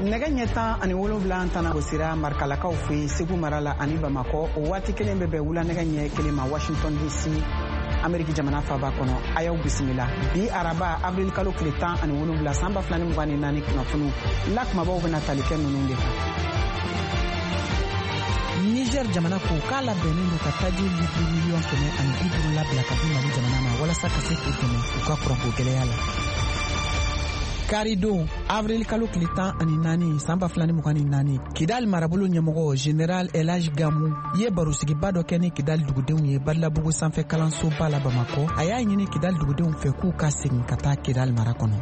Nɛgɛ ɲɛ 17 tana gosira Marikalakaw fɛ yen, Segu mara la ani Bamakɔ. O waati kelen bɛ bɛn wula nɛgɛ ɲɛ 1 ma Washington DC, Ameriki jamana faba kɔnɔ. A y'aw bisimila bi araba, avril kalo tile 17, san 2024, kunnafoniw la kumabaw bɛna tali kɛ ninnu de kan. Niger jamana ko k'a labɛnnen don ka taji litiri 150 miliyɔn labila ka di Mali jamana ma, walasa ka se k'u dɛmɛ u ka kuranko gɛlɛya la. Karidon, avril kalo tile 14, san 2024, Kidal marabolo ɲɛmɔgɔ Général Elage Gamu ye barosigiba dɔ kɛ ni Kidal dugudenw ye Badilabugu sanfɛ kalansoba la Bamakɔ. A y'a ɲini Kidal dugudenw fɛ k'u ka segin ka taa Kidal mara kɔnɔ.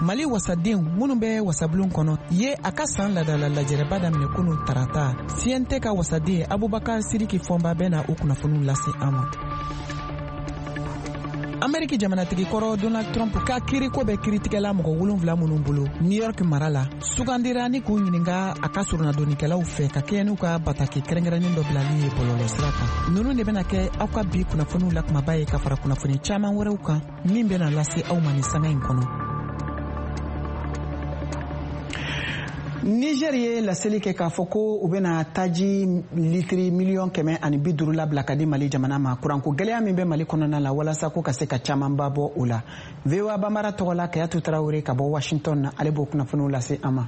Mali wasadenw minnu bɛ wasabulon kɔnɔ ye a ka san ladala lajɛrɛba daminɛ kunu tarata. CNT ka wasaden Abubakar Siriki Fɔnba bɛ na o kunnafoniw lase an ma. Ameriki jamanatigi kɔrɔ Donald Trump ka kiriko bɛ kiritigɛla mɔgɔ 7 minnu bolo New York mara la, sugandira ni k'u ɲininka a ka soronadonnikɛlaw fɛ ka kɛɲɛ n'u ka bataki kɛrɛnkɛrɛnnen dɔ bilali ye bɔlɔlɔ sira kan. Ninnu de bɛna kɛ aw ka bi kunnafoniw la kumaba ye, ka fara kunnafoni caman wɛrɛw kan min bɛna lase aw ma nin sanga in kɔnɔ. Niger ye laseli kɛ k'a fɔ ko u bɛna taji litiri 150 miliyɔn labila ka di Mali jamana ma, kuranko gɛlɛya min bɛ Mali kɔnɔna la, walasa ko ka se ka camanba bɔ o la. VOA Bambara tɔgɔ la, Kayatu Tarawele ka bɔ Washington na, ale b'o kunnafoniw lase an ma.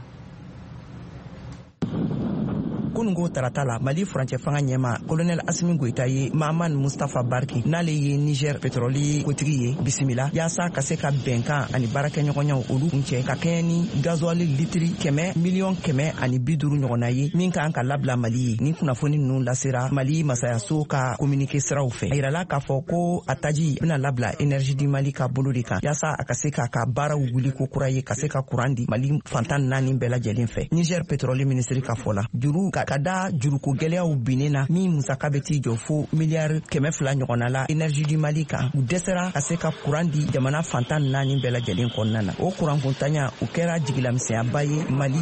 Kununko tarata la, Mali furancɛ fanga ɲɛma Kolonɛl Asimi Goyita ye Mahaman Mustafa Barki, n'ale ye Niger petrɔli kotigi ye, bisimila yaasa ka se ka bɛnkan ani baarakɛɲɔgɔnyaw olu kuncɛ ka kɛɲɛ ni gazuwali litiri 150 miliyɔn ɲɔgɔnna ye min kan ka labila Mali ye. Ni kunnafoni nunu lasera Mali masayaso ka communiqué siraw fɛ, a yirala k'a fɔ ko a taji bena labila Énergie du Mali ka bolo de kan, yaasa a ka se k'a ka baaraw wuli ko kura ye, ka se ka kuran di Mali fantan naani bɛɛ lajɛlen fɛ. Niger petrɔli minisiri ka fɔ la, juru ka da juruko gwɛlɛyaw binnen na, min musaka bɛ t'i jɔ fo miliyari 200 ɲɔgɔnna la Énergie du Mali kan, u dɛsɛra ka se ka kuran di jamana fantan naani bɛɛ lajɛlen kɔnɔna na. O kurankuntanya o kɛra jigilamisɛnyaba ye Mali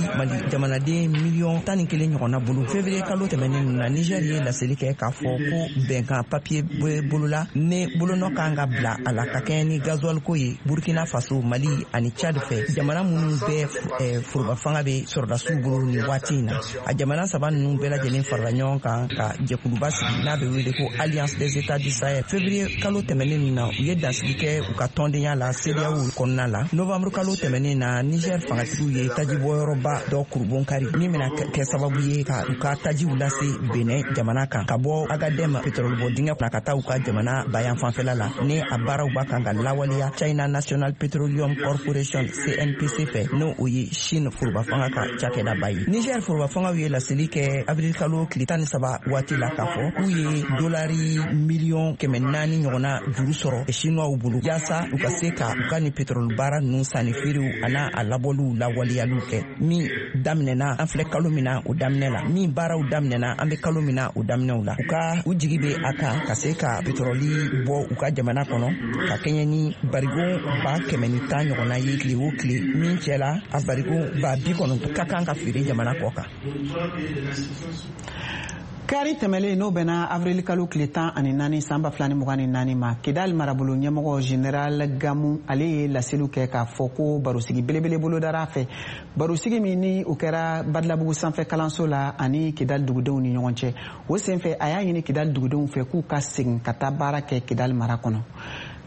jamanaden miliyɔn 11 ɲɔgɔnna bolo. Février kalo tɛmɛnen na, Niger ye laseli kɛ k'a fɔ ko bɛnkan papiye bɛ bolola ne bolonɔ kan ka bila a la ka kɛɲɛ ni gasoil ko ye Burkina Faso, Mali ani Chad fɛ, jamana minnu bɛɛ foroba fanga bɛ sɔrɔdasiw bolo nin waati in na. A jamana saba ninnu bɛɛ lajɛlen farala ɲɔgɔn kan ka jɛkuluba sigi n'a bɛ wele ko Alliance des États du Sahel. Février kalo tɛmɛnen ninnu na, u ye dansigi kɛ u ka tɔndenya la CEDEAO kɔnɔna la. Novembre kalo tɛmɛnen na, Niger fangatigiw ye tajibɔyɔrɔba dɔ kurubon kari min bɛna kɛ sababu ye ka u ka tajiw lase Benin jamana kan ka bɔ Agadem pétrole bɔ dingɛ kunna ka taa u ka jamana bayan fanfɛla la, ni a baaraw b'a kan ka lawaleya China National Petroleum Corporation, CNPC fɛ, n'o o ye Chine foroba fanga ka cakɛdaba ye. Niger foroba fangaw ye laseli kɛ avril kalo tile 13 waati la k'a fɔ k'u ye dolari 400 miliyɔn ɲɔgɔnna juru sɔrɔ Chinois bolo, yaasa u ka se ka u ka ni pétrole baara ninnu sanni feerew an'a a labɔliw lawaleyaliw kɛ, min daminɛna an filɛ kalo min na o daminɛ la, min baaraw daminɛna an bɛ kalo min na o daminɛw la. U ka u jigi bɛ a kan ka se ka pétrole bɔ u ka jamana kɔnɔ ka kɛɲɛ ni barigon 110,000 ɲɔgɔnna ye tile o tile, min cɛ la a barigon 90,000 ka kan ka feere jamana kɔ kan. Kari tɛmɛlen, n'o bɛnna avril kalo tile 14, san 2024 ma, Kidal marabolo ɲɛmɔgɔ Général Gamu, ale ye laseliw kɛ k'a fɔ ko barosigi belebele bolodara a fɛ, barosigi min ni o kɛra Badilabugu sanfɛ kalanso la ani Kidal dugudenw ni ɲɔgɔn cɛ. O senfɛ, a y'a ɲini Kidal dugudenw fɛ k'u ka segin ka taa baara kɛ Kidal mara kɔnɔ.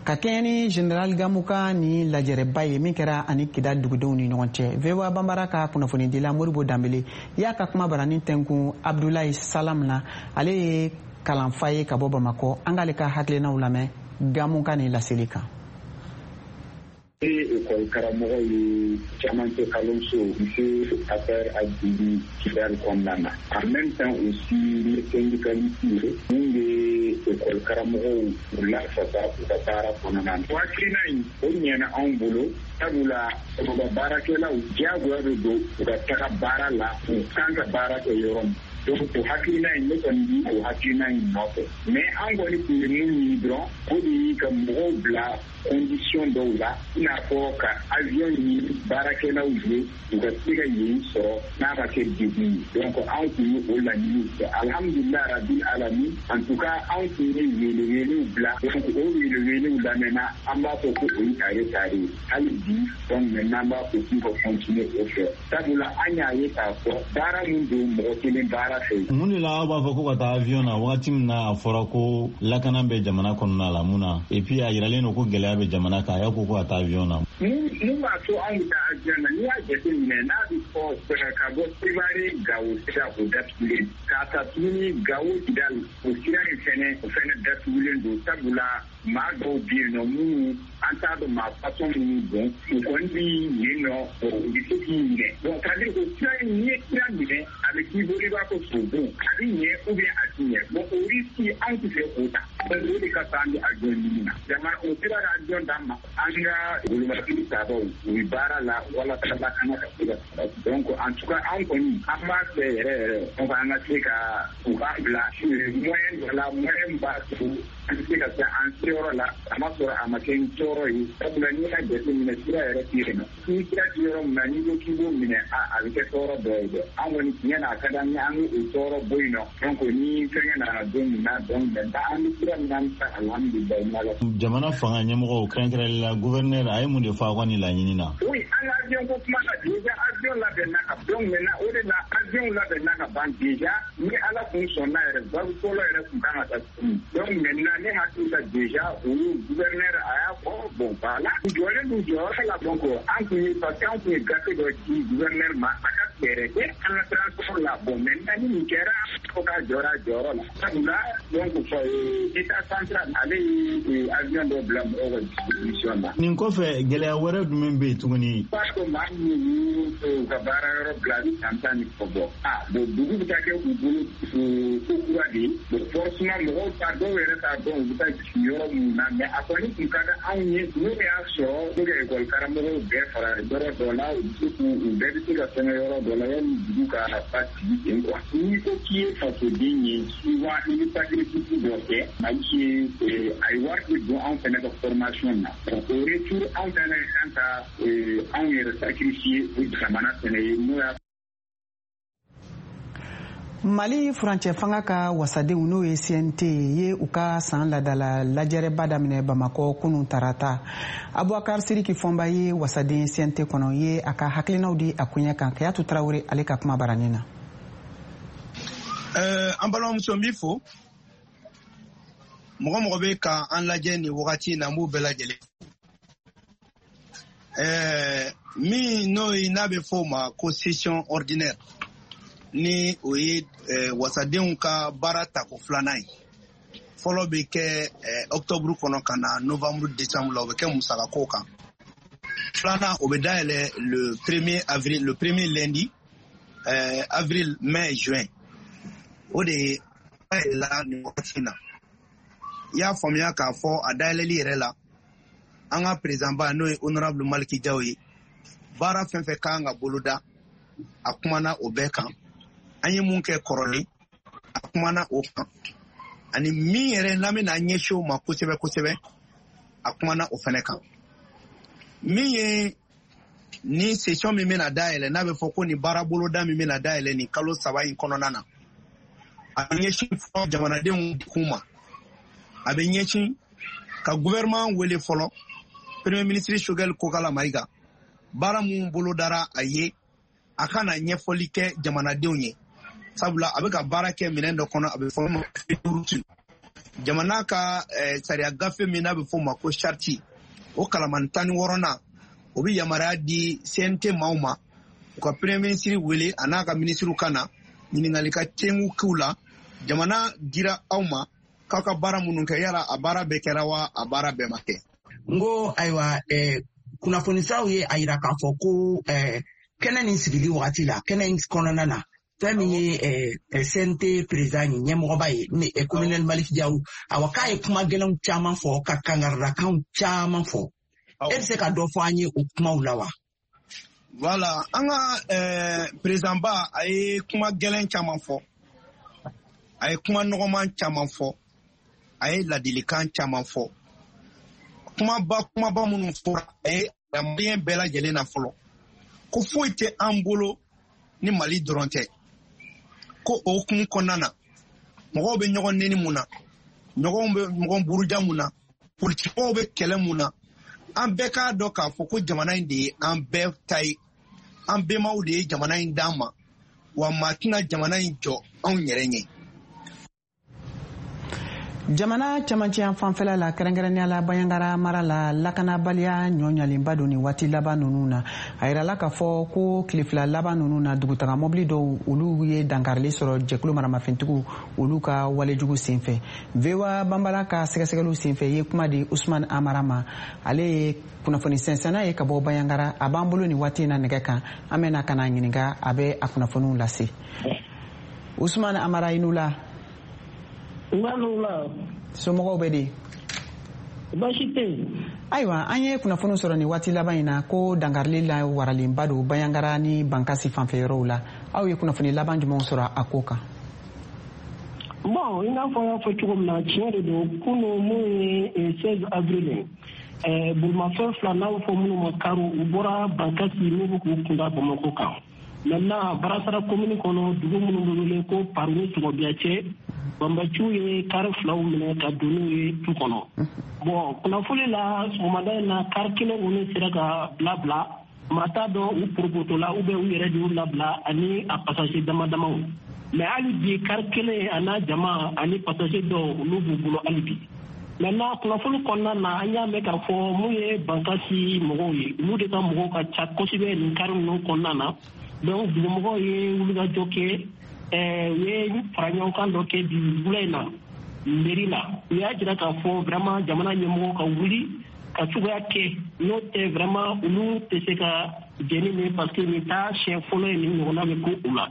Ka kɛɲɛ ni Général Gamu ka ni lajɛrɛba ye min kɛra ani Kidal dugudenw ni ɲɔgɔn cɛ, VOA Banbara ka kunnafonidila Moribo Danbele y'a ka kuma barani tɛnkun Abdulayi Salam na, ale ye kalanfa ye ka bɔ Bamakɔ. An k'ale ka hakilinaw lamɛn Gamu ka nin laseli kan. E école karamɔgɔ ye camancɛ kalanso monsieur Affaire Adili Kidal kɔnɔna na. En même temps aussi, ne syndicaliste ye mun bɛ école karamɔgɔw u lafasa u ka baara kɔnɔna na. O hakilina in, o ɲɛna anw bolo, sabula foroba baarakɛlaw diyagoya bɛ don u ka taga baara la, u kan ka baara kɛ yɔrɔ min. Donc o hakilina in, ne kɔni bi o hakilina in nɔfɛ, mais an kɔni tun bɛ mun ɲini dɔrɔn, o de ye ka mɔgɔw bila. condition dɔw la, i n'a fɔ ka avion ɲini baarakɛlaw ye, u ka se ka yen sɔrɔ n'a ma kɛ degun ye. Donc anw tun ye o laɲiniw kɛ, alhamdulilah rabil alamin. En tout cas, anw tun ye welewelew bila, donc o welewelew lamɛnna. An b'a fɔ ko o ye tare tare ye hali bi. Donc maintenant, an b'a fɔ k'u ka continuer o fɛ, sabula an y'a ye k'a fɔ baara min don, mɔgɔ kelen baara fɛ. Mun de la aw b'a fɔ ko ka taa avion na wagati min na a fɔra ko lakana bɛ jamana kɔnɔna la? Mun na? Et puis a yiralen don ko gɛlɛya bɛ jamana kan, a y'a ko ko ka taa avion na. Mun b'a to anw bɛ taa avion na? N'i y'a jateminɛ, n'a bɛ fɔ ka bɔ Sevare Gawo sira, o datugulen, k'a ta tuguni Gawo Kidal, o sira in fɛnɛ, o fɛnɛ datugulen don, sabula maa dɔw bɛ yen nɔ minnu an t'a dɔn maa façon minnu don, u kɔni bɛ yen nɔ, u bɛ se k'i minɛ. Donc c'est à dire o sira in, n'i ye sira minɛ, a bɛ k'i bolo i b'a fɔ sobon, a bɛ ɲɛ ou bien a ti ɲɛ. Bon, o risque, anw tɛ fɛ k'o ta. Donc o de ka fisa, an bɛ avion ɲini na. Jamana o sera ka avion d'an ma, an ka bolimafɛn tabaw, u bɛ baara la walasa lakana ka se ka sabati. Donc en tout cas, an kɔni, an b'a fɛ yɛrɛ yɛrɛ, donc an ka se ka u k'an bila moyen dɔ la, moyen b'a to an bɛ se ka se an seyɔrɔ la, a ma sɔrɔ a ma kɛ ni tɔɔrɔ ye, sabula n'i y'a jateminɛ, sira yɛrɛ tɛ yen nɔ. Ni sira tɛ yɔrɔ min na, n'i ko k'i b'o minɛ, a bɛ kɛ tɔɔrɔ dɔ ye dɛ. An kɔni, tiɲɛ na, a ka d'an ye an k'o tɔɔrɔ bɔ yen nɔ. Donc ni fɛnkɛ nana don min na, donc maintenant an bɛ sira min na, an bɛ taa, alhamdulilayi, n'Ala. Jamana fanga ɲɛmɔgɔw, kɛrɛnkɛrɛnnenya la gouverneur, a ye mun de fɔ aw ka nin laɲini na? Oui, an ka avion ko kuma la, déjà avion labɛnna ka, donc maintenant o de la avion labɛnna ka ban déjà. Ni Ala kun sɔnna yɛrɛ, vague fɔlɔ yɛrɛ kun kan ka taa tuguni. Donc maintenant, ne hakili la, déjà olu gouverneur a y'a fɔ, bon voilà, u jɔlen d'u jɔyɔrɔ la. Donc an kun ye, parce que an kun ye gafe dɔ di gouverneur ma, a ka fɛɛrɛ kɛ an ka transport la. Bon, maintenant ni nin kɛra, fo k'a jɔra a jɔyɔrɔ la, sabula donc état central, ale ye avion dɔ bila mɔgɔw ka disposition na. Nin kɔfɛ, gɛlɛya wɛrɛ jumɛn bɛ yen tuguni? Parce que maa minnu y'u ka baara yɔrɔ bila, a bɛ san 10 ni kɔ bɔ. Ah bon, dugu bɛ taa kɛ u bolo ko kura de ye. Bon, forcément mɔgɔw t'a dɔw yɛrɛ t'a dɔn u bɛ taa jigin yɔrɔ minnu na. Mais a kɔni tun ka di anw ye, n'o y'a sɔrɔ ko ka ekɔli karamɔgɔw bɛɛ fara yɔrɔ dɔ la, u bɛ se k'u u bɛɛ bɛ se ka fɛngɛ yɔrɔ dɔ la yanni dugu ka basigi ten quoi. N'i ko k'i ye fasoden ye, souvent i bɛ sacrifice dɔ kɛ. Mali ye, a ye wari de don anw fɛnɛ ka formation na. Donc au retour, anw fɛnɛ kan ka anw yɛrɛ sacrifier o jamana fɛnɛ ye, n'o y'a Mali furancɛ fanga ka wasadenw, n'o ye CNT ye, u ka san ladala lajɛrɛba daminɛ Bamakɔ kunun tarata. Abubakar Siriki Fɔnba ye wasaden CNT kɔnɔ ye, a ka hakilinaw di a koɲɛ kan Kayatu Tarawele ale ka kuma baranin na. An balimamuso, n b'i fo. Mɔgɔ mɔgɔ bɛ ka an lajɛ nin wagati in na, n b'u bɛɛ lajɛlen. Min n'o ye n'a bɛ fɔ o ma ko session ordinaire, ni o ye wasadenw ka baara tako filanan ye. Fɔlɔ bɛ kɛ octobre kɔnɔ ka na novembre, décembre la, o bɛ kɛ musakako kan. Filanan, o bɛ dayɛlɛ le premier avril, le premier lundi, avril, mai, juin. O de ye dayɛlɛla nin wagati in na. I y'a faamuya k'a fɔ a dayɛlɛli yɛrɛ la, an ka président ba, n'o ye honorable Maliki Jaw ye, baara fɛn fɛn kan ka boloda, a kumana o bɛɛ kan. An ye mun kɛ kɔrɔlen, a kumana o kan, ani min yɛrɛ n'an bɛna ɲɛsin o ma kosɛbɛ kosɛbɛ, a kumana o fɛnɛ kan. Min ye ni session min bɛna dayɛlɛ, n'a bɛ fɔ ko nin baara boloda min bɛna dayɛlɛ nin kalo 3 in kɔnɔna na, a bɛ ɲɛsin fɔlɔ jamanadenw kun ma. A bɛ ɲɛsin ka gouvernement wele fɔlɔ, premier ministre Choguel Kokala Mayiga, baara mun bolodara a ye, a ka na ɲɛfɔli kɛ jamanadenw ye, sabula a bɛ ka baara kɛ minɛn dɔ kɔnɔ, a bɛ fɔ ma jamana ka sariya gafe min n'a bɛ fɔ o ma ko charte, o kalamani 16nan, o bɛ yamaruya di CNT maaw ma, u ka premier ministre wele, a n'a ka ministre ka na ɲininkali ka tengu k'u la: jamana dira aw ma k'aw ka baara minnu kɛ, yala a baara bɛɛ kɛra wa, a baara bɛɛ ma kɛ? N ko ayiwa, kunnafonisiraw ye a yira k'a fɔ ko kɛnɛ nin sigili wagati la, kɛnɛ in kɔnɔna na, fɛn min ye CNT président ye, ɲɛmɔgɔba ye, ni colonel Malick Diaw, awa, k'a ye kuma gɛlɛnw caman fɔ, ka kangaridakanw caman fɔ. E bɛ se ka dɔ fɔ an ye o kumaw la wa? Voilà, an ka président ba, a ye kuma gɛlɛn caman fɔ, a ye kuma nɔgɔman caman fɔ, a ye ladilikan caman fɔ. Kuma Kumaba minnu fɔra, a ye maliyɛn bɛɛ lajɛlen na fɔlɔ ko foyi tɛ an bolo ni Mali dɔrɔn tɛ. Ko o hukumu kɔnɔna na, mɔgɔw bɛ ɲɔgɔn neni mun na, ɲɔgɔn bɛ ɲɔgɔn buruja mun na, politikimɔgɔw bɛ kɛlɛ mun na, an bɛɛ k'a dɔn k'a fɔ ko jamana in de ye an bɛɛ ta ye, an bɛnbaw de ye jamana in d'an ma, wa maa tɛna jamana in jɔ anw yɛrɛ ɲɛ. Jamana camancɛya fanfɛla la, kɛrɛnkɛrɛnnenya la Banjagara mara la, lakanabaliya ɲɔɲalenba don nin waati laban ninnu na. A yirala k'a fɔ ko tile 2 laban ninnu na, dugutaga mɔbili dɔw, olu ye dankarili sɔrɔ jɛkulu maramafɛntigiw olu ka walejugu senfɛ. VOA Banbara ka sɛgɛsɛgɛliw senfɛ ye kuma di Usman Amara ma. Ale ye kunnafoni sɛnsɛnna ye ka bɔ Banjagara. A b'an bolo nin waati in na nɛgɛ kan. An bɛna ka na ɲininka, a bɛ a kunnafoniw lase. Usman Amara, i n'u la. Somɔgɔw bɛ di? Baasi tɛ yen. Ayiwa, an ye kunnafoniw sɔrɔ nin waati laban in na ko dankarili la waralenba don Banjagara ni Bankasi fanfɛ yɔrɔw la. Aw ye kunnafoni laban jumɛnw sɔrɔ a ko kan? Bon, i n'a fɔ n y'a fɔ cogo min na, tiɲɛ de don. Kunu mun ye 16 avril ye, bolimafɛn 2, n'a bɛ fɔ minnu ma kariw, u bɔra Bankasi n'u bɛ k'u kunda Bamakɔ kan. Maintenant, Barasara commune kɔnɔ, dugu minnu bɛ wele ko Paru ni Sɔgɔbiya cɛ, banbaciw ye kari 2 minɛ ka don n'u ye tu kɔnɔ. Bon, kunnafoni la, sɔgɔmada in na, kari kelen kɔni sera ka bila. Maa t'a dɔn u porokotola ou bien u yɛrɛ de y'u labila ani a passager dama damaw. Mais hali bi, kari kelen a n'a jama ani passager dɔw, olu b'u bolo hali bi. Maintenant, kunnafoni kɔnɔna na, an y'a mɛn k'a fɔ mun ye Bankasi mɔgɔw ye, olu de ka mɔgɔw ka ca kosɛbɛ nin kari ninnu kɔnɔna na. Donc dugumɔgɔw ye wulikajɔ kɛ, u ye fara ɲɔgɔn kan dɔ kɛ bi wula in na mairie la. U y'a jira k'a fɔ vraiment jamana ɲɛmɔgɔw ka wuli ka cogoya kɛ, n'o tɛ vraiment olu tɛ se ka jɛni nin, parce que nin t'a siɲɛ fɔlɔ ye nin ɲɔgɔnna bɛ ko u la.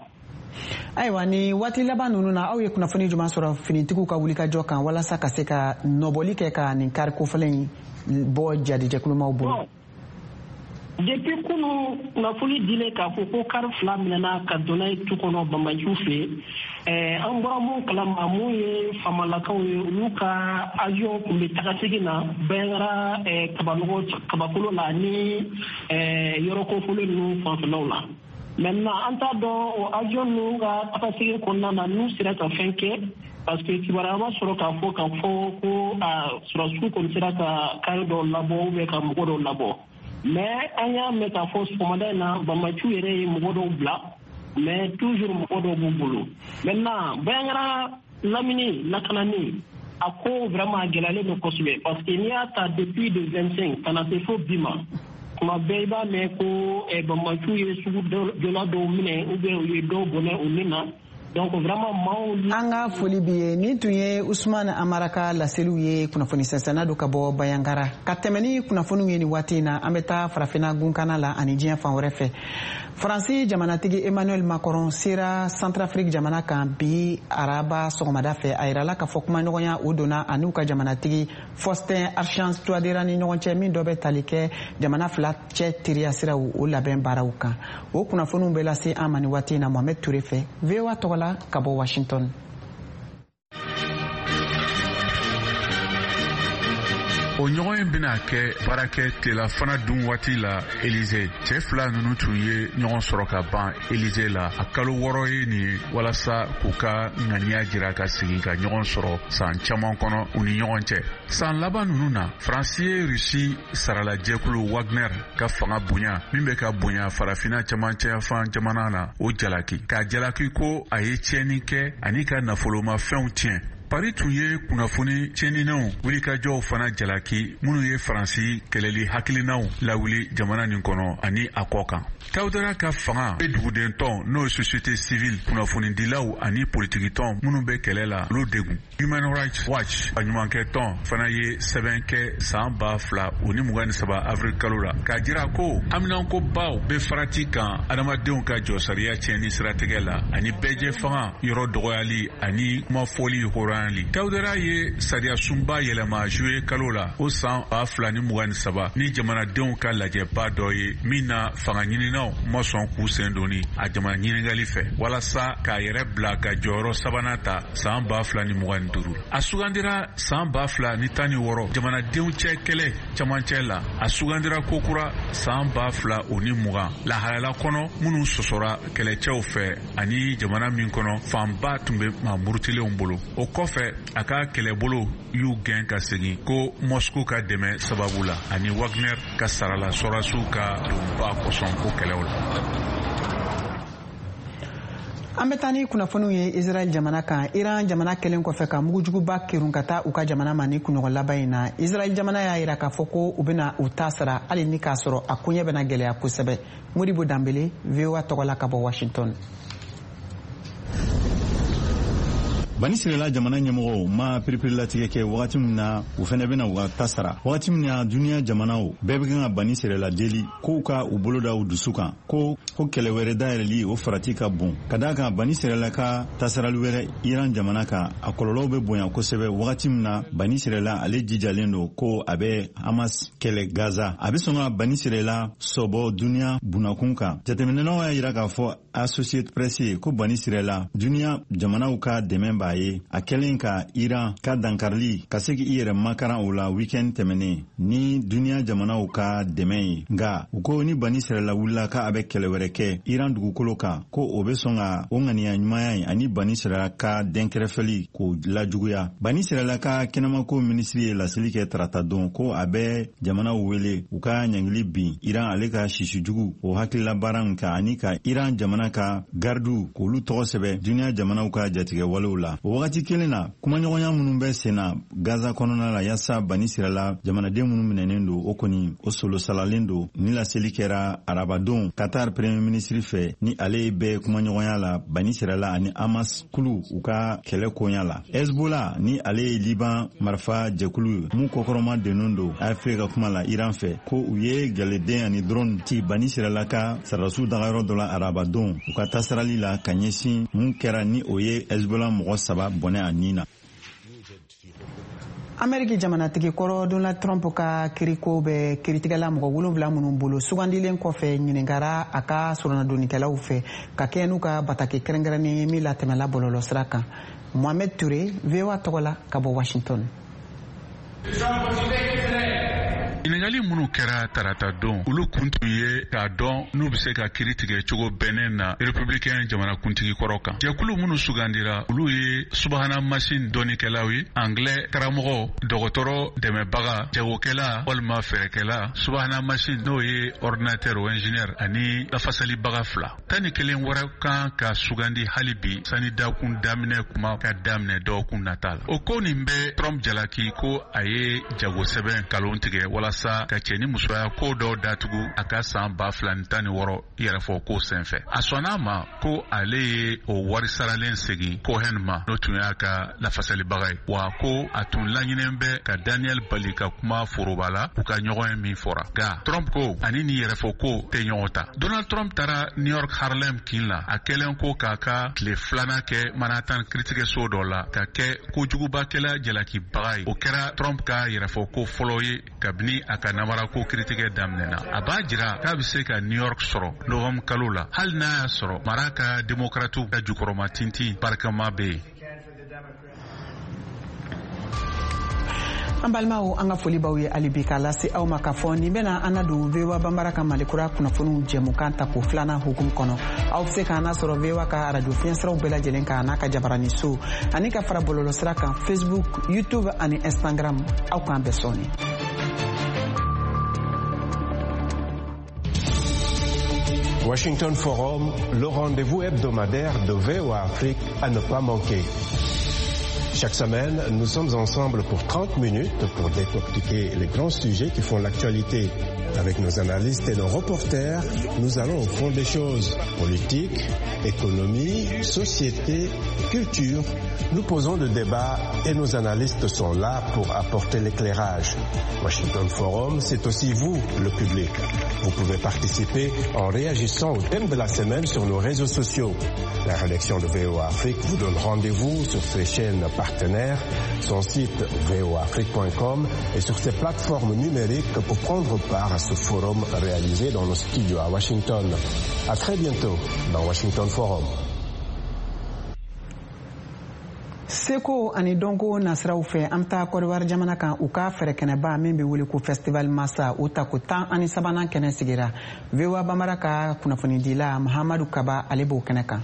Ayiwa, ni waati laban ninnu na, aw ye kunnafoni jumɛn sɔrɔ finitigiw ka wulikajɔ kan walasa ka se ka nɔbɔli kɛ ka nin kari kofɔlen in bɔ jadijɛkulumaw bolo? Depuis kunu kunnafoni dilen k'a fɔ ko kari 2 minɛna ka don n'a ye tu kɔnɔ banbaciw fɛ, an bɔra mun kalama, mun ye famalakaw ye, olu ka avion tun bɛ tagasegin na Banjagara kabanɔgɔ kabakolo la ni yɔrɔ kofɔlen ninnu fanfɛlaw la. Maintenant, an t'a dɔn o avion ninnu ka tagasegin kɔnɔna na n'u sera ka fɛn kɛ, parce que kibaruya ma sɔrɔ k'a fɔ ko a sɔrɔdasiw kɔni sera ka kari dɔw labɔ ou bien ka mɔgɔ dɔw labɔ. Mais an y'a mɛn k'a fɔ sɔgɔmada in na, banbaciw yɛrɛ ye mɔgɔ dɔw bila, mais toujours mɔgɔ dɔw b'u bolo. Maintenant, Banjagara lamini lakanani a ko vraiment a gɛlɛyalen don kosɛbɛ, parce que n'i y'a ta depuis le 25 ka na se fo bi ma, tuma bɛɛ i b'a mɛn ko banbaciw ye sugu jɔla dɔw minɛ ou bien u ye dɔw bɔnɛ u ni na. Donc vraiment maaw. An ka foli bi ye. Nin tun ye Usman Amara ka laseliw ye, kunnafoni sɛnsɛnna don ka bɔ Banjagara. Ka tɛmɛ ni kunnafoniw ye nin waati in na, an bɛ taa Farafinna gunkana la ani diɲɛ fan wɛrɛ fɛ. Faransi jamanatigi Emmanuel Macron sera Centrafrique jamana kan bi araba sɔgɔmada fɛ. A yirala k'a fɔ kumaɲɔgɔnya o donna a n'u ka jamanatigi Faustin Archange Touadéra ni ɲɔgɔn cɛ, min dɔ bɛ tali kɛ jamana fila cɛ teriya siraw o labɛn baaraw kan. O kunnafoniw bɛ lase an ma nin waati in na Mohamed Touré fɛ, VOA tɔgɔ la ka bɔ Washington. O ɲɔgɔn in bɛna kɛ baarakɛ tilelafana dun waati la Elize. Cɛɛ fila nunu tun ye ɲɔgɔn sɔrɔ ka ban Elize la a kalo 6 ye nin ye, walasa k'u ka ŋaniya jira ka segin ka ɲɔgɔn sɔrɔ san caman kɔnɔ u ni ɲɔgɔn cɛ. San laban nunu na, Faransi ye Rusi saralajɛkulu Wagner ka fanga bonya min bɛ ka bonya Farafina camancɛyafan jamana na, o jalaki, k'a jalaki ko a ye tiɲɛni kɛ ani ka nafolomafɛnw tiɲɛ. Paris tun ye kunnafoni tiɲɛninɛw wulikajɔw fana jalaki, minnu ye Faransi kɛlɛli hakilinaw lawuli jamana nin kɔnɔ ani a kɔ kan. Touadéra ka fanga bɛ dugudentɔn, n'o ye société civile, kunnafonidilaw ani politikitɔn minnu bɛ kɛlɛ la, olu degun. Human Rights Watch baɲumankɛ tɔn fana ye sɛbɛn kɛ san 2023 avril kalo la k'a jira ko haminankobaw bɛ farati kan adamadenw ka jɔsariya tiɲɛni siratigɛ la ani bɛɛjɛ fanga yɔrɔ dɔgɔyali ani kumafɔli hɔrɔnya. Stanley. Touadera ye sariyasunba yɛlɛma juillet kalo la o san 2023 ni jamanadenw ka lajɛba dɔ ye min na fanga ɲininaw ma sɔn k'u sen donni a jamana ɲininkali fɛ walasa k'a yɛrɛ bila ka jɔyɔrɔ sabanan ta san 2025. A sugandira san 2016 jamanadenw cɛ kɛlɛ camancɛ la. A sugandira kokura san 2020 lahalaya kɔnɔ minnu sɔsɔra kɛlɛcɛw fɛ ani jamana min kɔnɔ fanba tun bɛ maa murutilenw bolo. O kɔfɛ a ka kɛlɛbolo y'u gɛn ka segin ko Moscou ka dɛmɛ sababu la ani Wagner ka sarala sɔrɔdasiw ka donba kosɔn ko kɛlɛw la. An bɛ taa ni kunnafoniw ye Israɛl jamana kan. Iran jamana kɛlen kɔfɛ ka mugujuguba kerun ka taa u ka jamana ma ni kunɲɔgɔn laban in na, Israɛl jamana y'a yira k'a fɔ ko u bɛna u ta sara hali ni k'a sɔrɔ a koɲɛ bɛna gɛlɛya kosɛbɛ. Modibo Danbele, VOA tɔgɔ la ka bɔ Washington. Bani Sirela jamana ɲɛmɔgɔw ma piripirilatigɛ kɛ wagati min na u fɛnɛ bɛna u ka ta sara, wagati min na duniya jamanaw bɛɛ bɛ kan ka Bani Sirela deli k'u ka u bolo da u dusu kan ko kɛlɛ wɛrɛ dayɛlɛli o farati ka bon, ka d'a kan Bani Sirela ka tasarali wɛrɛ Iran jamana kan a kɔlɔlɔw bɛ bonya kosɛbɛ, wagati min na Bani Sirela ale jijalen don ko a bɛ Hamas kɛlɛ Gaza, a bɛ sɔn ka Bani Sirela sɔbɔ duniya bunakun kan. Jateminɛnaw y'a yira k'a fɔ Associated Press ye ko Bani Sirela duniya jamanaw ka dɛmɛ b'a ye a kɛlen ka Iran ka dankarili ka se k'i yɛrɛ makaran o la weekend tɛmɛnen ni duniya jamanaw ka dɛmɛ ye. Nka u ko ni Bani Sirela wulila k'a bɛ kɛlɛ wɛrɛ kɛ Iran dugukolo kan, ko o bɛ sɔn ka o ŋaniya ɲumanya ye ani Bani Sirela ka dɛnkɛrɛfɛli k'o lajuguya. Bani Sirela ka kɛnɛmako minisiri ye laseli kɛ tarata don ko a bɛ jamanaw wele u ka ɲangili bin Iran ale ka sisijugu o hakilila baara min kan ani ka Iran jamana ka gardiw k'olu tɔgɔ sɛbɛ duniya jamanaw ka jatigɛ walew la. O wagati kelen na, kumaɲɔgɔnya minnu bɛ sen na Gaza kɔnɔna la yaasa Bani Sirela jamanaden minnu minɛnen don, o kɔni o solo salalen don. Ni laseli kɛra arabadon Qatar premier ministre fɛ ni ale bɛ kumaɲɔgɔnya la Bani Sirela ani Hamas kulu u ka kɛlɛ koɲa la. Hezbollah ni ale ye Liban marifa jɛkulu ye mun kɔkɔrɔma dennen don AFP ka kuma la Iran fɛ, ko u ye galeden ani drone ci Bani Sirela ka sɔrɔdasiw dagayɔrɔ dɔ la arabadon u ka tasarali la ka ɲɛsin mun kɛra ni o ye Hezbollah mɔgɔ 3 bɔnɛ a nin na. Ameriki jamanatigi kɔrɔ Donald Trump ka kiriko bɛ kiritigɛla mɔgɔ 7 minnu bolo sugandilen kɔfɛ ɲininkara a ka soronadonnikɛlaw fɛ ka kɛɲɛ n'u ka bataki kɛrɛnkɛrɛnnen ye min latɛmɛla bɔlɔlɔsira kan. Mohamed Touré, VOA tɔgɔ la ka bɔ Washington. Ɲininkali minnu kɛra tarata don, olu kun tun ye k'a dɔn n'u bɛ se ka kiri tigɛ cogo bɛnnen na républicain jamanakuntigi kɔrɔ kan. Jɛkulu minnu sugandira, olu ye subahana masin dɔnnikɛlaw ye, anglais karamɔgɔ, dɔgɔtɔrɔ dɛmɛbaga, jagokɛla walima fɛɛrɛkɛla, subahana masin n'o ye ordinateur o ingénieur ani lafasalibaga 2. 11 wɛrɛ kan ka sugandi hali bi sani dakun daminɛ kuma ka daminɛ dɔgɔkun nata la. O ko nin bɛ Trump jalaki ko a ye jagosɛbɛn nkalon tigɛ walasa ka cɛ ni musoya ko dɔw datugu a ka san 2016 yɛrɛfɔ ko senfɛ. A sɔnna a ma ko ale ye o wari saralen segin Cohen ma, n'o tun y'a ka lafasalibaga ye, wa ko a tun laɲininen bɛ ka Daniel bali ka kuma foroba la u ka ɲɔgɔn ye min fɔra. Nka Trump ko ani nin yɛrɛfɔ ko tɛ ɲɔgɔn ta. Donald Trump taara New York Harlem kin la a kɛlen ko k'a ka tile 2nan kɛ Manhattan kiritigɛso dɔ la ka kɛ kojugubakɛla jalakibaga ye. O kɛra Trump ka yɛrɛfɔ ko fɔlɔ ye kabini a ka namarako kiritigɛ daminɛna. A b'a jira k'a bɛ se ka New York sɔrɔ novembre kalo la, hali n'a y'a sɔrɔ mara ka demokratiw ka jukɔrɔma tintin barikama bɛ yen. An balimaw, an ka foli b'aw ye hali bi k'a lase aw ma k'a fɔ nin bɛna an ladon VOA Banbara ka Malikura kunnafoniw jɛmukan ta ko 2nan hukumu kɔnɔ. Aw bɛ se k'an lasɔrɔ VOA ka arajo fiɲɛsiraw bɛɛ lajɛlen kan n'a ka jabarani so ani ka fara bɔlɔlɔsira kan Facebook, YouTube ani Instagram. Aw k'an bɛn sɔɔni. Washington Forum, le rendez-vous hebdomadaire de VOA Afrique à ne pas manquer. Chaque semaine, nous sommes ensemble pour 30 minutes pour décortiquer les grands sujets qui font l'actualité. Avec nos analystes et nos reporters, nous allons au fond des choses. Politique, économie, société, culture. Nous posons le débat et nos analystes sont là pour apporter l'éclairage. Washington Forum, c'est aussi vous, le public. Vous pouvez participer en réagissant au thème de la semaine sur nos réseaux sociaux. La rédaction de VOA Afrique vous donne rendez-vous sur ses chaînes partenaires, son site voafrique.com et sur ses plateformes numériques pour prendre part à ce forum réalisé dans nos studios à Washington. À très bientôt dans Washington Forum. Seko ani dɔnko nasiraw fɛ, an bɛ taa Kɔdiwari jamana kan, u ka fɛɛrɛkɛnɛba min bɛ wele ko Festival Massa, o tako 13nan kɛnɛ sigira. VOA Bambara ka kunnafonidila Mahamadu Kaba, ale b'o kɛnɛ kan.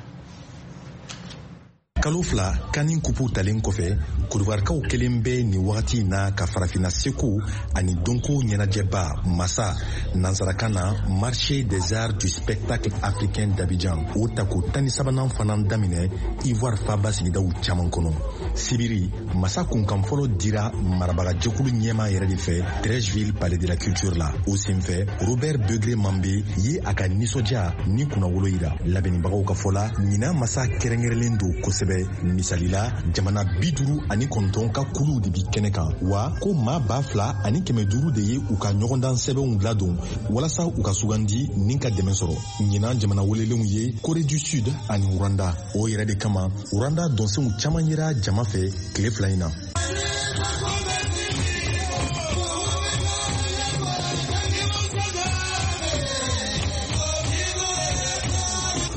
Kalo 2 CAN kupu talen kɔfɛ, Kodiwarikaw kelen bɛ nin wagati in na ka Farafina seko ani dɔnko ɲɛnajɛba Massa, nansarakan na Marché des arts du spectacle africain d'Abidjan, o tako 13nan fana daminɛ Ivoire faba sigidaw caman kɔnɔ. Sibiri, Massa kunkan fɔlɔ dira marabagajɛkulu ɲɛma yɛrɛ de fɛ Treichville, Palais de la Culture la. O senfɛ, Robert Begré Mambe ye a ka nisɔndiya ni kunnawolo yira. Labɛnnibagaw ka fɔ la, ɲinan Massa kɛrɛnkɛrɛnlen don kosɛbɛ. Misali la, jamana 59 ka kuluw de bi kɛnɛ kan, wa ko maa 2500 de ye u ka ɲɔgɔndan sɛbɛnw ladon walasa u ka sugandi ni ka dɛmɛ sɔrɔ. Ɲinan jamana welelenw ye Corée du Sud ani Rwanda. O yɛrɛ de kama, Rwanda dɔnsenw caman yera jama fɛ tile 2 in na.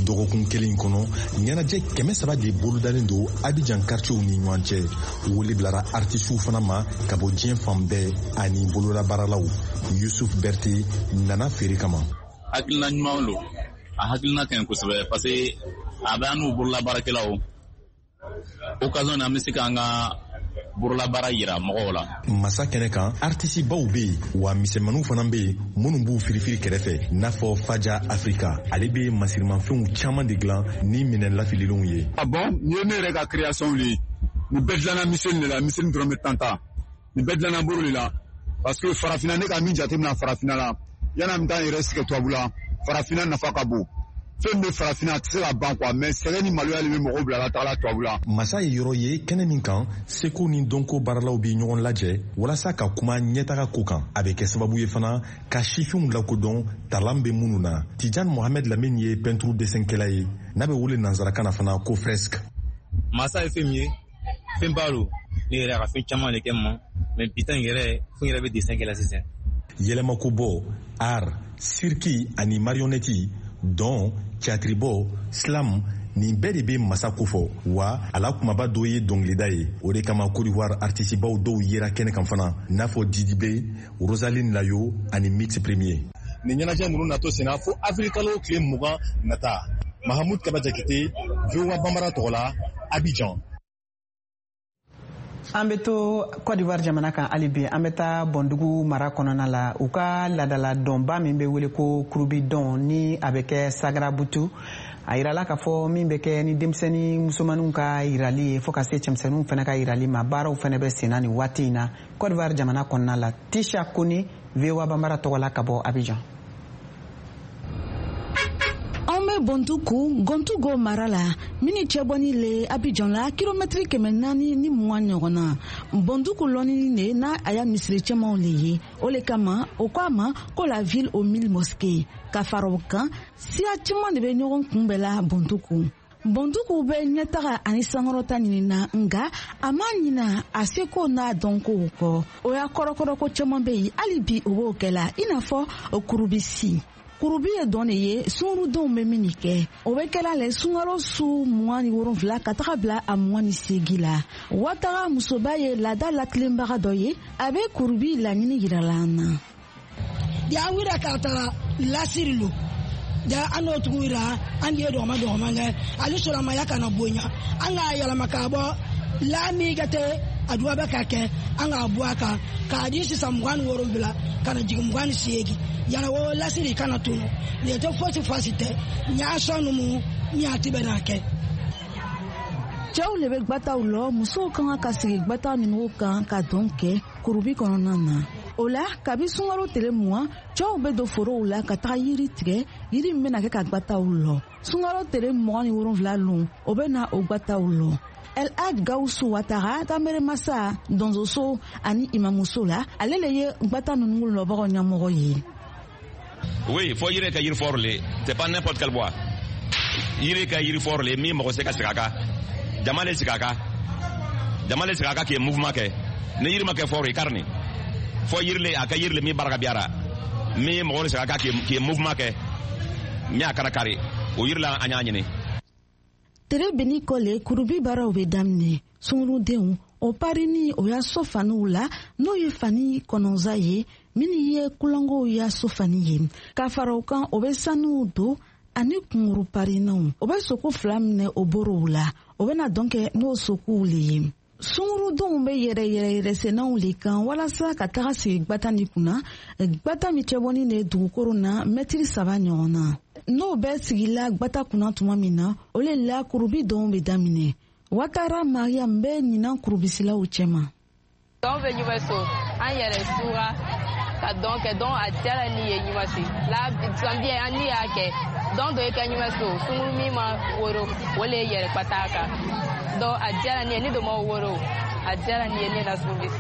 Dɔgɔkun kelen kɔnɔ, ɲɛnajɛ 300 de bolodalen don Abidjan quartierw ni ɲɔgɔn cɛ. Wele bilara artisiw fana ma ka bɔ diɲɛ fan bɛɛ ani bololabaaralaw. Yusuf Berte nana feere kama. Hakilina ɲuman don, a hakilina ka ɲi kosɛbɛ, parce que a bɛ an n'u bololabaarakɛlaw occasion na, an bɛ se k'an ka bololabaara yira mɔgɔw la. Massa kɛnɛ kan, artisibaw bɛ yen, wa misɛnmaninw fana bɛ yen minnu b'u firifiri kɛrɛfɛ, n'a fɔ Faja Afrika. Ale bɛ masirimafɛnw caman de dilan ni minɛn lafililenw ye. Ah bon, nin ye ne yɛrɛ ka création de ye. Nin bɛɛ dilanna miseli de la, miseli dɔrɔn bɛ tan ta. Nin bɛɛ dilanna bolo de la. Parce que farafinna, ne ka min jateminɛ farafinna la, yanni an bɛ taa n yɛrɛ sigi tubabu la, farafinna nafa ka bon. Fɛn bɛ farafinna, a tɛ se ka ban quoi, mais sɛgɛn ni maloya de bɛ mɔgɔw bila ka taga tubabu la. Massa ye yɔrɔ ye kɛnɛ min kan, seko ni dɔnko baaralaw bɛ ɲɔgɔn lajɛ walasa ka kuma ɲɛtaga ko kan. A bɛ kɛ sababu ye fana ka sifinw lakodɔn talan bɛ minnu na. Tijan Mohamed Lamine ye peinture dessin-kɛla ye, n'a bɛ wele nansarakan na fana ko fresque. Massa ye fɛn min ye, fɛn ba don. Ne yɛrɛ a ka fɛn caman de kɛ n ma, mais bi ta in yɛrɛ, fo n yɛrɛ bɛ dessin kɛ la sisan. Yɛlɛmakobɔ, art, cirque ani marionnette, dɔn, tiyatiribɔ, slam, nin bɛɛ de bɛ Massa kofɔ. Wa a la kumaba dɔ ye dɔnkilida ye. O de kama, Côte d'Ivoire artisibaw dɔw yera kɛnɛ kan fana, n'a fɔ Didi B, Rosaline Layo ani Mix Premier. Nin ɲɛnajɛ ninnu natɔ senna fo avril kalo tile 20 nata. Mahamud Kaba Jakite, VOA Bambara tɔgɔ la, Abidjan. An bɛ to Côte d'Ivoire jamana kan hali bi. An bɛ taa Bɔndugu mara kɔnɔna la, u ka ladala dɔnba min bɛ wele ko kurubi dɔn, ni a bɛ kɛ Sagarabutu. A yirala k'a fɔ min bɛ kɛ ni denmisɛnnin musomaninw ka yirali ye, fo ka se cɛmisɛnninw fana ka yirali ma, baaraw fana bɛ senna nin waati in na Côte d'Ivoire jamana kɔnɔna la. Tisha Kone, VOA Bambara tɔgɔ la, ka bɔ Abidjan. An bɛ Bɔntuku, Gɔntugo mara la, min ni cɛbɔni le Abidjan la kilomɛtiri 420 ɲɔgɔn na. Bɔnduku lɔnni le n'a a ya misiri cɛmanw le ye. O le kama o ko a ma ko la ville aux mille mosquées. Ka fara o kan, siya caman de bɛ ɲɔgɔn kunbɛn la Bɔnduku. Bɔnduku bɛ ɲɛtaga ani sankɔrɔta ɲinina, nga a ma ɲina a seko n'a dɔnkow kɔ. O y'a kɔrɔkɔrɔ ko caman bɛ yen hali bi, o b'o kɛ la, i n'a fɔ kurubisi. Kurubi ye dɔn de ye sungurudenw bɛ min kɛ. O bɛ kɛla le sunkalo su 27 ka taga bila a 28 la. Wataga musoba ye laada latilenbaga dɔ ye, a bɛ kurubi laɲini yirala an na. Ja, an wira k'a tara lasiri lo ja, an n'o tugu wira, an ye dɔgɔma dɔgɔma kɛ ale sɔrɔmaya kana bonya, an k'a yɛlɛma k'a bɔ laami ka tɛ a duba bɛ ka kɛ, an k'a bɔ a kan k'a di sisan 27 ka na jigin 28 yana, o lasiri kana tunu nin tɛ fosi fosi tɛ ɲa sɔn numu ɲa ti bɛ n'a kɛ. Cɛw le bɛ gbataw lɔ, musow ka kan ka sigi gbata ninnu kan ka dɔn kɛ kurubi kɔnɔna na. O la, kabi sunkalo tile 20, cɛw bɛ don forow la ka taga yiri tigɛ, yiri min bɛna kɛ ka gbataw lɔ. Sunkalo tile 27 lon, o bɛ na o gbataw lɔ. El Hadj Gawusu Watara, Tameremasa donsoso ani imamuso la, ale le ye gbata ninnu lɔbagaw ɲɛmɔgɔ ye. Oui, fo yiri ka yiri fort le, c'est pas n'importe quel bois. Yiri ka yiri fort le min mɔgɔ se ka sigi a kan. Jama le sigi a kan. Jama le sigi a ka k'i mouvement kɛ. Ni yiri ma kɛ fort i kari nin. Fo yiri le a ka yiri le min baara ka biyara. Min mɔgɔ le sigi a ka k'i mouvement kɛ. Min a kana kari. O yiri la an y'a ɲini. Tere beni kɔ le kurubi baaraw bɛ daminɛ. Sungurudenw o parini o y'a so faniw la, n'o ye fani kɔnɔnsa ye minnu ye kulangow y'a so fani ye. Ka fara o kan, o bɛ sanuw don ani kunguru parinaw. O bɛ soko fila minɛ o borow la, o bɛna dɔn kɛ n'o sokow le ye. Sungurudenw bɛ yɛrɛ yɛrɛ yɛrɛsɛnɛw le kan walasa ka taga sigi gbata ni kunna, gbata min cɛbɔni de dugukolo na mɛtiri 3 ɲɔgɔn na. N'o bɛɛ sigila gbata kunna tuma min na, o le la kurubi dɔw bɛ daminɛ. Watara Mariam bɛ ɲinan kurubisilaw cɛma. Dɔn bɛ ɲuman so, an yɛrɛ sura ka dɔn kɛ, dɔn a diyara ni ye ɲuman si. La sanbiya an ni y'a kɛ, dɔn dɔ ye kɛ ɲuman so, sunguru min ma woro, o le ye yɛrɛ pata kan. Dɔn a diyara ni ye, ni dɔ ma woro, a diyara ni ye ne na sunguru.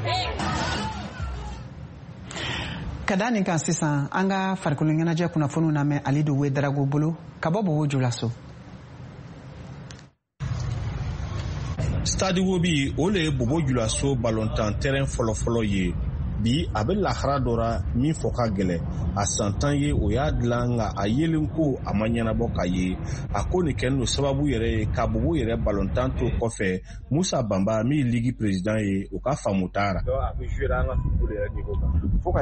Ka da nin kan sisan, an ka farikolo ɲɛnajɛ kunnafoniw lamɛn Alidu Wedarago bolo ka bɔ Bobo Julaso. Stade Wobi o le ye Bobo Julaso balontan terrain fɔlɔfɔlɔ ye. Bi a bɛ lahara dɔ ra min fɔ ka gɛlɛn. A san 10 ye o y'a dilan, nka a yelen ko a ma ɲɛnabɔ ka ye. A ko nin kɛlen don sababu yɛrɛ ye ka Bobo yɛrɛ balontan to kɔfɛ. Musa Banba min ye ligue président ye, o ka faamu t'a ra. Donc a bɛ jouer an ka football yɛrɛ niveau kan. Fo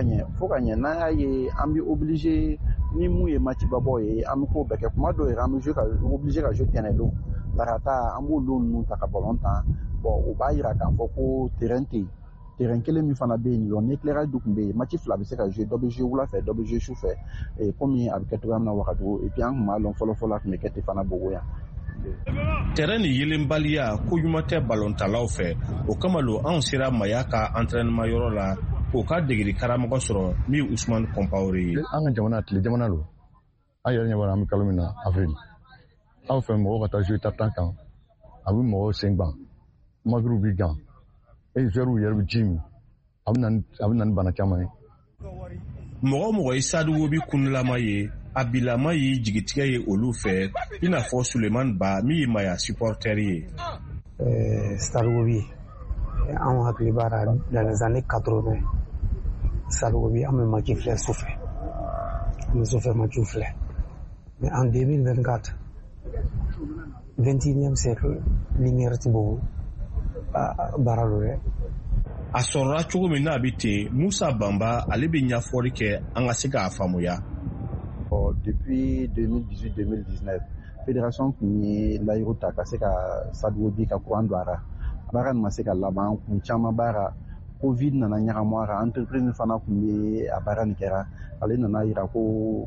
ka ɲɛ n'an y'a ye an bɛ obligé ni mun ye match babɔ ye, an bɛ k'o bɛɛ kɛ. Kuma dɔw yɛrɛ an bɛ jouer ka obligé ka jouer tɛnɛn don. Tarata an b'o don ninnu ta ka ballon tan. Bon, o b'a yira k'a fɔ ko terrain tɛ yen. Terrain kelen min fana bɛ yen nɔ, ni éclairage dun tun bɛ yen, match fila bɛ se ka jouer, dɔ bɛ jouer wula fɛ, dɔ bɛ jouer su fɛ. Komi a bɛ kɛ cogoya min na Wagadugu, et puis an tun b'a lɔn fɔlɔ-fɔlɔ a tun bɛ kɛ ten fana Bobo yan. Terrain ni yelenbaliya ko ɲuman tɛ balontalaw fɛ. O kama lo anw sera Maya ka entraînement yɔrɔ la k'o ka degeli karamɔgɔ sɔrɔ min ye Usumani Kɔnpawore ye. An ka jamana tile jamana don. An yɛrɛ ɲɛ b'a la an bɛ kalo min na avril. Aw fɛ mɔgɔw ka taa jouer tartan kan, a bɛ mɔgɔw sen gan, magiriw b'i gan, e joueurs yɛrɛ bɛ ji min, a bɛ na ni bana caman ye. Mɔgɔ o mɔgɔ ye Stade Wobi kunlama ye, a bilama ye jigitigɛ ye olu fɛ, i n'a fɔ Sulemani Ba min ye Maya supporter ye. Stade Wobi, anw hakili b'a la dans les années 80, Stade Wobi an bɛ match filɛ sufɛ, an bɛ sufɛ match filɛ. Mais en 2024, 21e siècle, lumière ti Bobo baara don dɛ. A sɔrɔla cogo min n'a bɛ ten, Musa Banba ale bɛ ɲɛfɔli kɛ an ka se k'a faamuya. Depuis 2018-2019, fédération tun ye layiru ta ka se ka Stade Wobi ka courant don a ra. Baara nin ma se ka laban, kun caman b'a ra. Covid nana ɲagamu a ra, entreprise fana tun bɛ a baara nin kɛra. Ale nana yira ko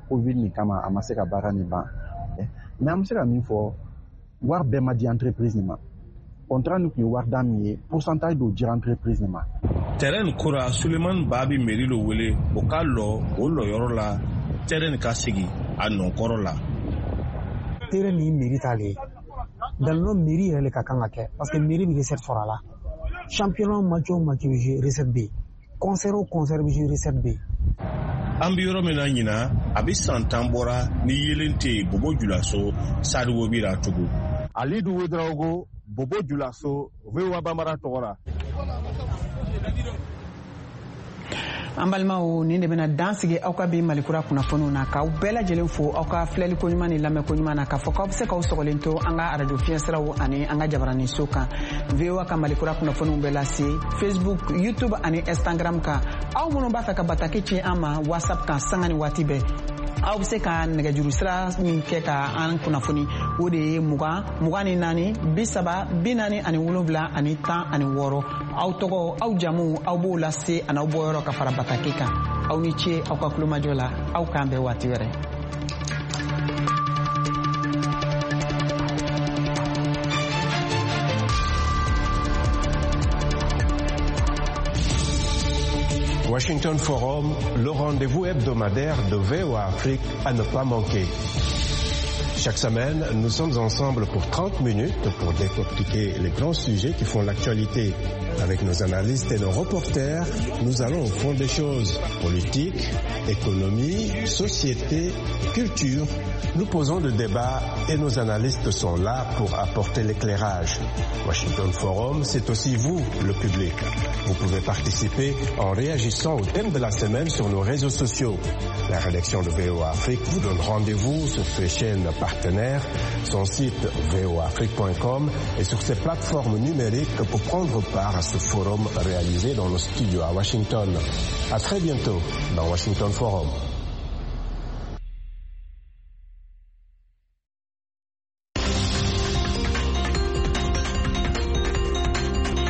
Covid nin kama a ma se ka baara nin ban. Mais an bɛ se ka min fɔ, wari bɛɛ ma di entreprise nin ma. Contrat nin tun ye wari da min ye, pourcentage dɔ dira entreprise nin ma. Terrain nin ko ra, Sulemani Ba bɛ mairie lo wele o ka lɔ o lɔyɔrɔ la, terrain nin ka sigi a nɔkɔrɔ la. Terrain nin mairie t'ale ye. Dans le mairie yɛrɛ le ka kan ka kɛ, parce que mairie bɛ recette sɔrɔ a la. Championnat match o match bɛ jouer, recette bɛ yen. Concert o concert bɛ jouer, recette bɛ yen. An bɛ yɔrɔ min na ɲinan, a bɛ san 10 bɔra ni yelen tɛ yen Bobo Julaso Stade Wobi la tugun. Alidu Wedarawogo, Bobo Julaso, VOA Bambara tɔgɔ la. An balimaw, nin de bɛna dan sigi aw ka bi Malikura kunnafoniw na, k'aw bɛɛ lajɛlen fo aw ka filɛli koɲuman ni lamɛn koɲuman na, k'a fɔ k'aw bɛ se k'aw sɔgɔlen to an ka arajo fiɲɛsiraw ani an ka jabaraninso kan. VOA ka Malikura kunnafoniw bɛ lase Facebook, YouTube ani Instagram kan. Aw minnu b'a fɛ ka bataki ci an ma WhatsApp kan sanga ni waati bɛɛ, aw bɛ se ka nɛgɛjuru sira min kɛ ka an kunnafoni, o de ye 20 24 30 47 16. Aw tɔgɔ, aw jamu, aw b'o lase ani aw bɔyɔrɔ ka fara bataki kan. Aw ni ce aw ka kulomajɔ la, aw k'an bɛn waati wɛrɛ. Washington Forum, le rendez-vous hebdomadaire de VOA Afrique à ne pas manquer. Chaque semaine, nous sommes ensemble pour 30 minutes pour décortiquer les grands sujets qui font l'actualité. Avec nos analystes et nos reporters, nous allons au fond des choses. Politique, économie, société, culture. Nous posons le débat et nos analystes sont là pour apporter l'éclairage. Washington Forum, c'est aussi vous, le public. Vous pouvez participer en réagissant au thème de la semaine sur nos réseaux sociaux. La rédaction de VOA Afrique vous donne rendez-vous sur ses chaînes partenaires, son site voaafrique.com et sur ses plateformes numériques pour prendre part à ce forum réalisé dans nos studios à Washington. À très bientôt dans Washington Forum.